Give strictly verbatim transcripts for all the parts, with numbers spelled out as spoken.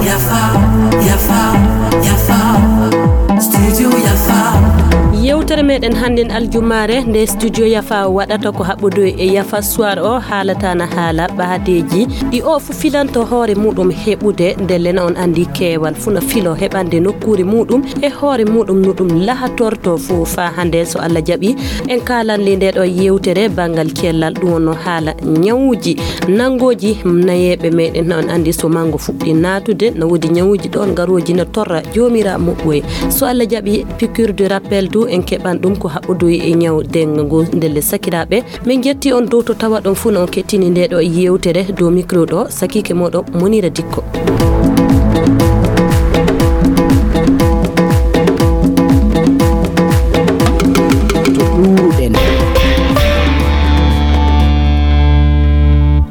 Yafa, Yafa, Yafa, Studio Yafa. Yewtere meɗen hannden aljumaare nde Studio Yafa waɗata ko haɓɓodoy e Yafa Soir o haalata na haala ɓaadeeji ɗi o fu filanto hoore muɗum heɓude. Ndelle na on anndi keewal fu na filo heɓande nokkuure muɗum e hoore muɗum no ɗum lahatorto fu faa hannde so Allah jaɓi. En kaalan le nde ɗo yewtere banngal cellal ɗum wonno haala ñawuuji nanngooji nayeeɓe meɗen. Na on anndi so manngo fuɗɗi naatude na woodi ñawuuji ɗoon ngarooji na torra joomira muɓɓoye. So Allah jaɓi piqûre de rappel du en keɓan ɗum ko haɓɓodoy e ñaw denga ngu. Ndelle sakiraaɓe, min jetti on dow to tawa ɗon fuu na on kettini nde ɗo yewtere dow micro ɗo sakiike moɗo Monira Dikko. To ɗuuruɗen.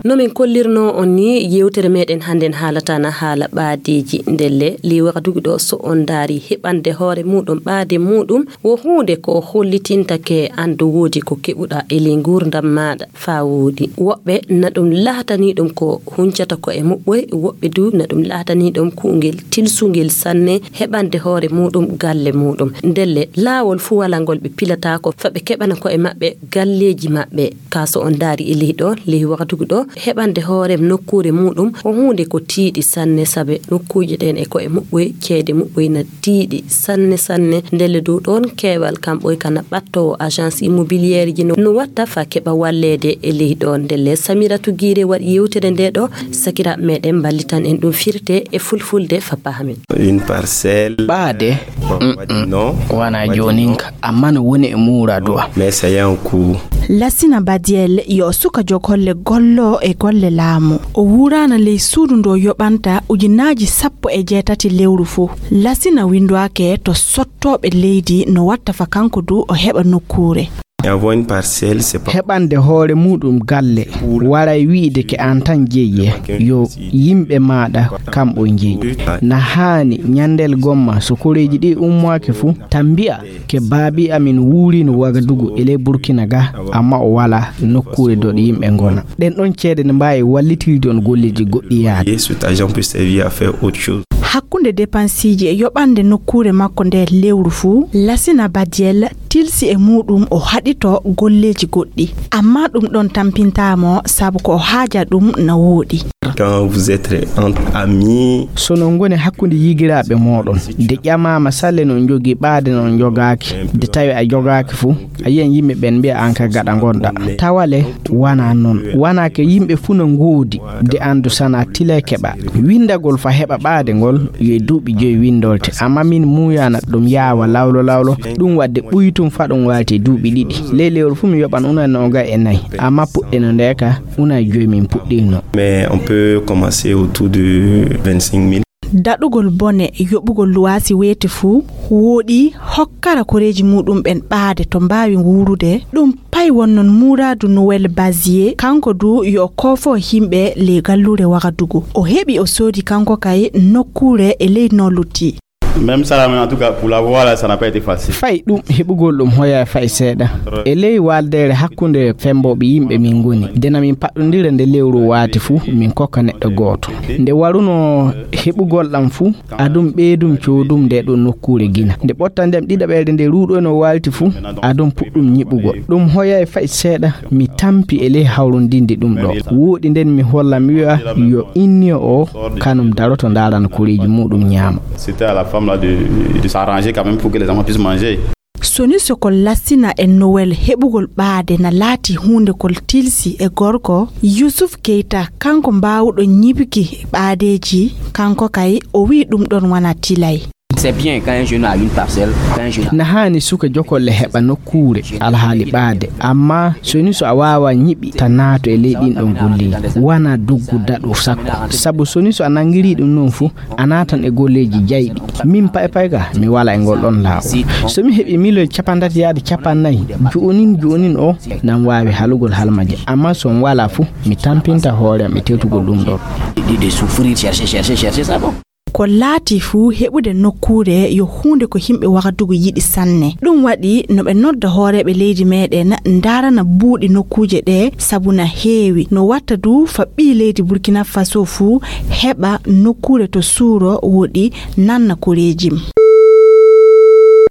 No min kollirno on ni, yewtere meɗen hannden haalata na haala ɓaadeeji. Ndelle, li wakatuki ɗo so on ndaari heɓande hoore muɗum ɓaade muɗum wo huunde ko hollitintake an do woodi ko keɓuɗa e ley nguurndam maaɗa faa wooɗi. Woɓɓe na ɗum laatanii ɗum ko huncata ko e muɓɓoy, woɓɓe du na ɗum laatanii ɗum kuungel tilsungel sanne heɓande hoore muɗum galle muɗum. Ndelle, laawol fuu walaa ngol ɓe pilata ko faa ɓe keɓana ko e maɓɓe galleeji maɓɓe. Kaa so on ndaari e ley ɗo, ley wakatuki ɗo, heɓande hoore nokkuure muɗum ko huunde ko tiiɗi sanne, sabe nokkuuje ɗeen e ko e muɓɓoy, ceede muɓɓoy na tiiɗi sanne sanne. Ndelle dow ɗoon keewal kam ɓoy kana ɓattoowo agence immobilière ji no, no watta faa keɓa walleede e ley ɗo. Ndelle Samiratu Giire waɗi yewtere nde ɗo, sakiraaɓe meɗen mballitan en ɗum firte e fulfulde faa pahamen. Une parcelle. Ɓaade. Bon, on va dire non. Wana jooninka, amma no woni e muuradu am. Mais ça y a un coût. Lasina Badiel yo suka jogolle gollo e golle laamu. O wuuraana ley suudu ndo yoɓanta ujunaaji sappo e jeetati lewru fuu. Lasina winndwaake to sottooɓe leydi no watta fa kanko du o heɓa nokkuure. Avoir une parcelle, c'est pas. Heɓande hoore muɗum galle waray wi'de ke an tan jeyi, yo yimɓe maaɗa kamɓe jeyi. Na haani ñandel gomma so koreeji ɗi ummaaki fuu, tan mbi'a ke baabi amin wuurino Wagadugu e ley Burkina ga, amma o wala nokkuure dow ɗo yimɓe ngona. Ɗen ɗon ceede ne mbaawi wallitirde on golleeji goɗɗi yaade. Cet argent peut servir à faire autre chose. Hakkunde depansiiji e yoɓande nokkuure makko nde lewru fuu, Lasina Badiel tilsi e muɗum o haɗito golleeji goɗɗi. Amma ɗum ɗon tampintaa mo sabu ko o haaja ɗum na wooɗi. Quand vous êtes entre amis. So no ngoni hakkunde yigiraaɓe mooɗon, de ƴamaama salle no on njogii ɓaade no on njogaaki, de tawi a jogaaki fuu, a yiyan yimɓe ɓen mbi'a an ka gaɗa ngonɗa. Tawa le, wana non. Wana ke yimɓe fuu no ngoodi, de anndu sana tilay keɓa. Winndagol fa heɓa ɓaade ngol, yo e duuɓi joyi winndolte. Amma min muuyaana ɗum yaawa lawlo lawlo, ɗum waɗde ɓuytum fa ɗum waalti e duuɓi ɗiɗi. Ley lewru fuu mi yoɓan unan noogay e nayi. Amma puɗɗe no nde ka, unan joyi min puɗɗirno. Mais on peut commencer autour de vingt-cinq mille. Daɗugol bone yoɓugol luwaasi weeti fuu, wooɗi hokkara koreeji muɗum ɓen ɓaade to mbaawi wuurude. Ɗum pay wonnon muuraadu Noël Bazier, kanko du yo o koofo yimɓe ley galluure Wagadugu. O heɓi o soodi kanko kay nokkuure e ley no lutti. Même ça, là, mais en tout cas, pour l'avoir, là, ça n'a pas été facile. Fay ɗum heɓugol ɗum hoya fay seeɗa. E ley waaldeere hakkunde fembooɓe yimɓe min ngoni. Dena min paɗɗondira nde lewru waati fuu, min kokka neɗɗo gooto. Nde waruno heɓugol ɗam fuu, adum ɓeydum coodum nde ɗo nokkuure gina. Nde ɓottandem ɗiɗaɓeere nde ruuɗoyno waalti fuu, adum puɗɗum ñiɓugol. Ɗum hoyay fay seeɗa, mi tampi e ley hawrondinde ɗum ɗo. Wooɗi nden mi holla mi wi'a, yo inniyo o, kanum daroto ndaarana koreeji muɗum ñaama. C'était à la femme là de, de s'arranger quand même pour que les enfants puissent manger. Soni sokol Lasina e Noël heɓugol ɓaade na laati huunde kol tilsi e gorko, Yusuf Keita, kanko mbaawuɗo ñiɓuki ɓaadeeji, kanko kay o wi'i ɗum ɗon wana tilay. C'est bien quand un jeune a une parcelle, quand un jeune a. Na haani suka jokolle heɓa nokkuure alhaali ɓaade, amma soni so a waawa ñiɓi ta naato e ley ɗin ɗon golleeji, wana duggu daɗu sakko. Sabu soni so a nangiri ɗum non fu, a naatan e golleeji jayɗi. Min pay pay ka, mi wala e ngol ɗon laawol. So mi heɓi miliyon capantati yaade capannay, jo'onin jo'onin o, nan waawi halugol halmaje. Amma so mi wala fu, mi tampinta hoore am e tewtugol ɗum ɗon. De, de souffrir, chercher, chercher, chercher, ça bon. Ko laati fuu, heɓude nokkuure yo huunde ko yimɓe Wagadugu yiɗi sanne. Ɗum waɗi no ɓe nodda hooreeɓe leydi meeɗen ndaarana buuɗi nokkuuje ɗee, sabu na heewi. No watta du fa ɓii leydi Burkina Faso fuu heɓa nokkuure to suuro woɗi nanna koreeji.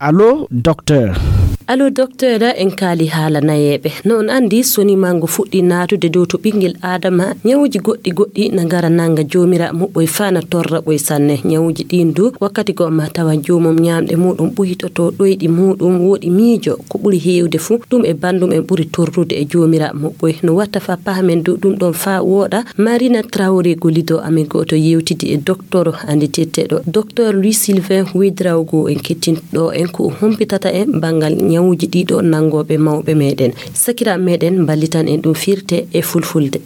Allo, docteur. Allo, docteur, en kaali haala nayeeɓe. No on anndi, so ni mango fuɗɗi naatude dow to ɓinngel Aadama, ñawuuji goɗɗi goɗɗi na ngara nannga joomira muɓɓoy faa na torra ɓoy sanne. Ñawuuji ɗiin du, wakkati goo ma tawa joomum ñaamɗe muuɗum ɓuytoto ɗoyɗi muuɗum, woɗi miijo. Ko ɓuri heewde fuu, ɗum e banndum en ɓuri torrude e joomira muɓɓoy. No watta faa pahamen du ɗum ɗoon faa wooɗa. Marina Traoré gollido amen gooto yewtidi e docteur annditeteɗo, docteur Louis Sylvain Ouédraogo, en kettinɗo en ko o humpitata en banngal ñawuuji ɗiɗo nanngooɓe mawɓe meɗen. Sakiraaɓe meɗen mballitan en ɗum firte e fulfulde.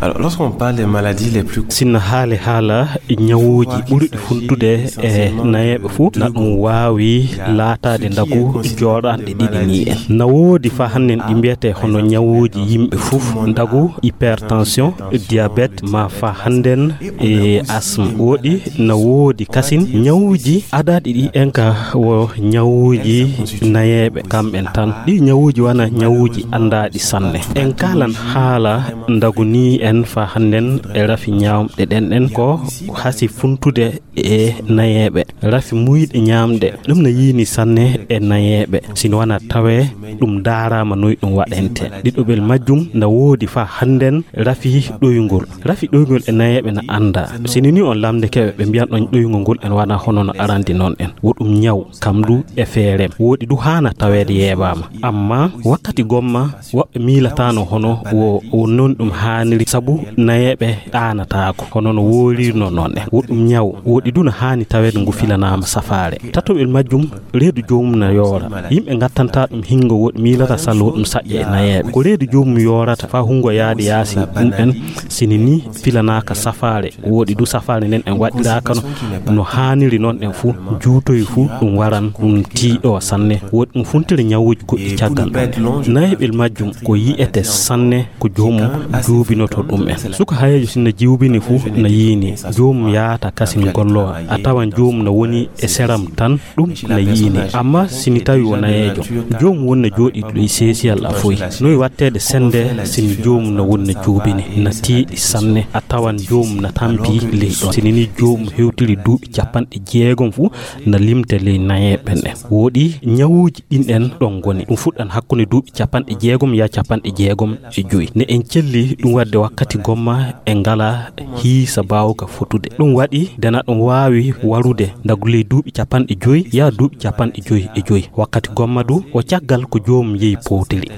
Alors, lorsqu'on parle des maladies les plus Sinno haale haala ñawuuji ɓurɗi funtude e nayeeɓe fuu, na ɗum waawi laataade ndagu jooɗanɗe ɗiɗi ni en. Na woodi faa hannden ɗi mbiyetee hono ñawuuji yimɓe fuu, ndagu hypertension, diabète, ma faa hannden e asthme. Woɗi na woodi kasin ñawuuji adaaɗi ɗi en ka wo ñawuuji nayeeɓe kamɓen tan. Ɗi ñawuuji wana ñawuuji anndaaɗi sanne. En kaalan haala ndagu ni en faa hannden e rafi ñaamɗe ɗen ɗen ko hasi funtude e nayeeɓe. Rafi muuyɗe ñaamɗe, ɗum na yiini sanne e nayeeɓe. Sino wana tawee ɗum ndaaraama noy ɗum waɗente. Ɗiɗoɓel majjum na woodi faa hannden rafi ɗoyngol. Rafi ɗoyngol e nayeeɓe na anndaa. Sini ni on lamndike ɓe, ɓe mbiyan ɗon ɗoyngol ngol en wana hono no arandi noon en. Wo ɗum ñaw, kam du e feerem. Woɗi du haana taweede yeebaama. Amma wakkati gomma, woɓɓe miilataano hono wo, wo noon ɗum haaniri, sabu nayeeɓe ɗaanataako, hono no woorirno noon en. Wo ɗum ñaw, woɗi du no haani taweede ngu filanaama safaare. Tatoɓel majjum, reedu joomum na yoora. Yimɓe ngattantaa ɗum hingo, woɗi miilata salla wo ɗum saƴƴa e nayeeɓe. Ko reedu joomum yoorata faa hungo yaade yaasi ɗum en, sini ni filanaaka safaare. Woɗi du safaare nden en waɗiraaka no, no haaniri noon en fuu, juutoy fuu ɗum waran ɗum tiiɗo sanne. Woɗi ɗum funtiri ñawuuji goɗɗi caggal ɗum. Nayeeɓel majjum ko yi'ete sanne ko joomum juubinoto ɗum en. Suka hayeejo sinno juubini fuu na yiini, joomum yaata kasin gollowa, a tawan joomum na woni e seram tan, ɗum na yiini. Amma sini tawi wo nayeejo, joomum wonna jooɗi ɗo e seesiyal a foy. Noy watteede sennde sini joomum na wonna juubini, na tiiɗi sanne, a tawan joomum na tampi ley ɗon. Sini ni joomum hewtiri duuɓi capanɗe jeegom fuu, na limte ley nayeeɓe ɓen. Woɗi ñawuuji ɗin en ɗon ngoni. Ɗum fuɗɗan hakkunde duuɓi capanɗe jeegom yaa capanɗe jeegom e joy. Ne en celli ɗum waɗde wakkati gomma e ngala hiisa baawka fotude. Ɗum waɗi dena ɗum waawi warude ndagu ley duuɓi capanɗe joy yaa duuɓi capanɗe joy e joy. Wakkati gomma du o caggal ko joomum yehi powtiri.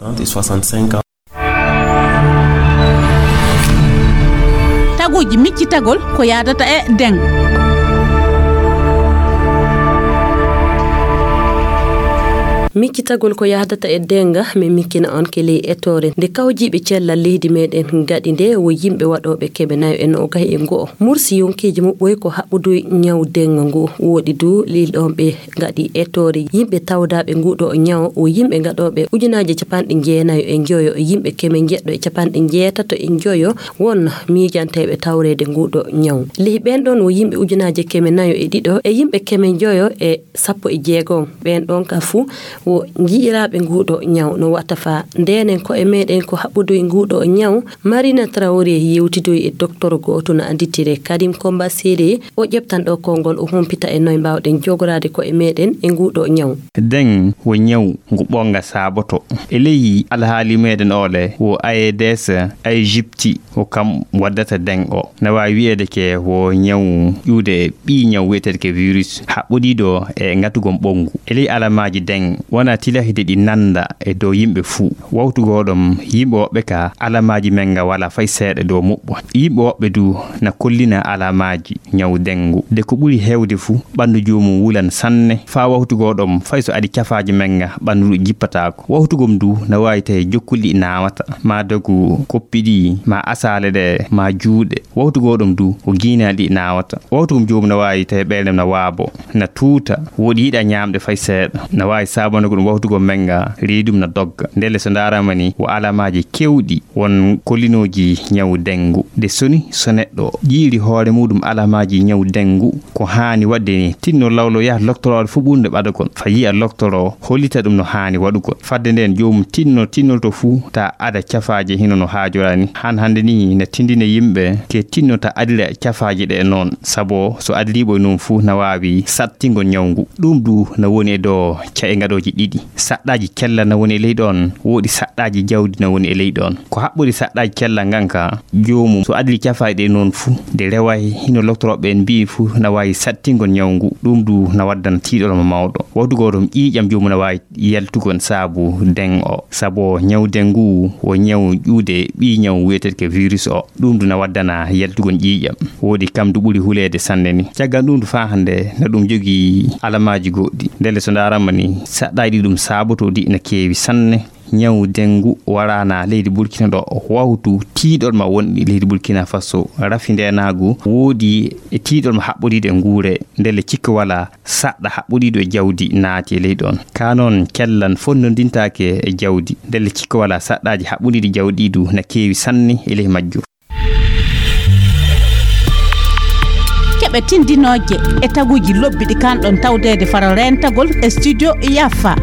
Taguuji miccitagol ko yaadata e deŋ. Miccitagol ko yahdata e denga, mi mikkina on ke ley etoore nde kawjiiɓe cellal leydi meɗen gaɗi nde wo yimɓe waɗooɓe keme nayo e noogay e go'o. Mursi yonkeeji muɓɓoy ko haɓɓuduy ñaw denga ngu. Woɗi du lilɗon ɓe gaɗi etoore yimɓe tawdaaɓe nguɗo ñaw wo yimɓe gaɗooɓe ujunaaji capanɗe jeenayo e njoyo, yimɓe keme njeɗɗo e capanɗe njeetato e njoyo won miijanteeɓe tawreede nguɗo ñaw. Ley ɓen ɗon wo yimɓe ujunaaji keme nayo e ɗiɗo e yimɓe keme njoyo e sappo e jeegom. Ɓen ɗon ka fuu wo ji'iraaɓe nguɗo ñaw. No watta faa ndenen ko'e meɗen ko haɓɓuduy nguɗo ñaw, Marina Traoré yewtidoy e doktor gooto no annditire Karim Komba Sere. O ƴeftan ɗo konngol, o humpita e noy mbaawɗen jogoraade ko'e meɗen e nguɗo ñaw. Den wo ñaw ngu ɓonga saaboto. E ley alhaali meɗen ole wo A E D S, Egypti, ko kam waddata den o. Na waawi wi'eede ke wo ñaw ƴuude ɓii ñaw wi'eteede ke virus, haɓɓodiiɗo e ngatugol ɓonngu. E ley alamaaji den, wona tilahide ɗi nannda e dow yimɓe fuu. Wawtu goo ɗon, yimɓe woɓɓe ka alamaaji men nga wala fay seeɗa dow muɓɓo. Yimɓe woɓɓe du na kollina alamaaji ñaw den ngu. De ko ɓuri heewde fuu, ɓanndu joomum wulan sanne. Faa wawtu goo ɗon, fay so aɗi cafaaji men nga, ɓanndu ndu jippataako. Wawtu gom du na waawi tawi jokkuli ɗi naawata, maa dogu koppi ɗi, maa asaale ɗe, maa juuɗe. Wawtu goo ɗon du, ko giinaali ɗi naawata. Wawtu gom joomum na waawi tawi ɓeynde na waabo, na tuuta, woɗi yiɗa ñaamde fay seeɗa. Na waawi saabana Ko ɗum wawtugo menga, reedum na dogga. Ndelle so ndaarama ni, wo alamaaji kewɗi won kolinooji ñawu dengu. Nde soni so neɗɗo ƴiiri hoore muɗum alamaaji ñawu dengu, ko haani waɗde ni, tinno lawlo yaha loktorooɗo fuu ɓurnde ɓadagol. Fa yi'a loktoro, hollita ɗum no haani waɗugol. Fadde nden, joomum tinno, tinnol to fuu, ta ada cafaaje hino no haajorani. Han hande ni, na tindine yimɓe, ke tinno ta adira cafaaje ɗe noon. Sabo so adiriiɓo e noon fuu, na waawi sattingol ñawngu. Ɗum du na woni e dow ca'e ngaɗooji ɗiɗi. Saɗɗaaji cellal na woni e ley ɗoon, woodi saɗɗaaji jawdi na woni e ley ɗoon. Ko haɓɓori saɗɗaaji cellal ngan ka, joomum so adiri cafaaji ɗe noon fuu, nde reway hino loktorooɓe en mbi'i fuu, na waawi sattingol ñawngu. Ɗum du na waddana tiiɗol mo mawɗo. Wawtu gooto ƴiiƴam joomum na waawi yaltugol saabu den o. Sabo ñaw den ngu wo ñaw ƴuude ɓii ñaw wi'eteeɗo ke virus o. Ɗum du na waddana yaltugol ƴiiƴam. Woodi kam du ɓuri huleede sanne ni. Caggal ɗum du faa hannde na ɗum jogii alamaaji goɗɗi. Ndelle so ndaarama ni, saɗɗaaji ɗi ɗum saabotoo ɗi na keewi sanne. Ñaw dengu waraana leydi Burkina ɗo, wawtu tiiɗol ma wonɗi leydi Burkina Faso. Rafi ndeenaagu woodi e tiiɗol ma haɓɓodiiɗo e nguure, ndelle cikka wala saɗɗa haɓɓodiiɗo e jawdi naati e leydi on. Ka noon, kellan fonnondintaake e jawdi, ndelle cikka wala saɗɗaaji haɓɓodiiɗi jawdi ɗi du na keewi sanne e ley majjum. Keɓe tindinooje e taguuji lobbi ɗi kanɗon tawdeede faro reentagol e studio Yafa.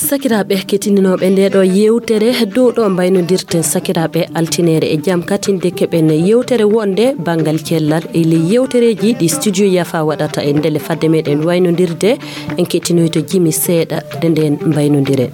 Sakiraaɓe keɗitinooɓe nde ɗo yeewtere, dow ɗo mbaynodirten sakiraaɓe altineere e jam katinde keɓen yeewtere wonde banngal cellal e ley yeewtereeji ɗi studio Yafa waɗata e ndelle fadde meɗen waynondirde. En kettinoyto Jimi seeɗa nde nden mbaynondire.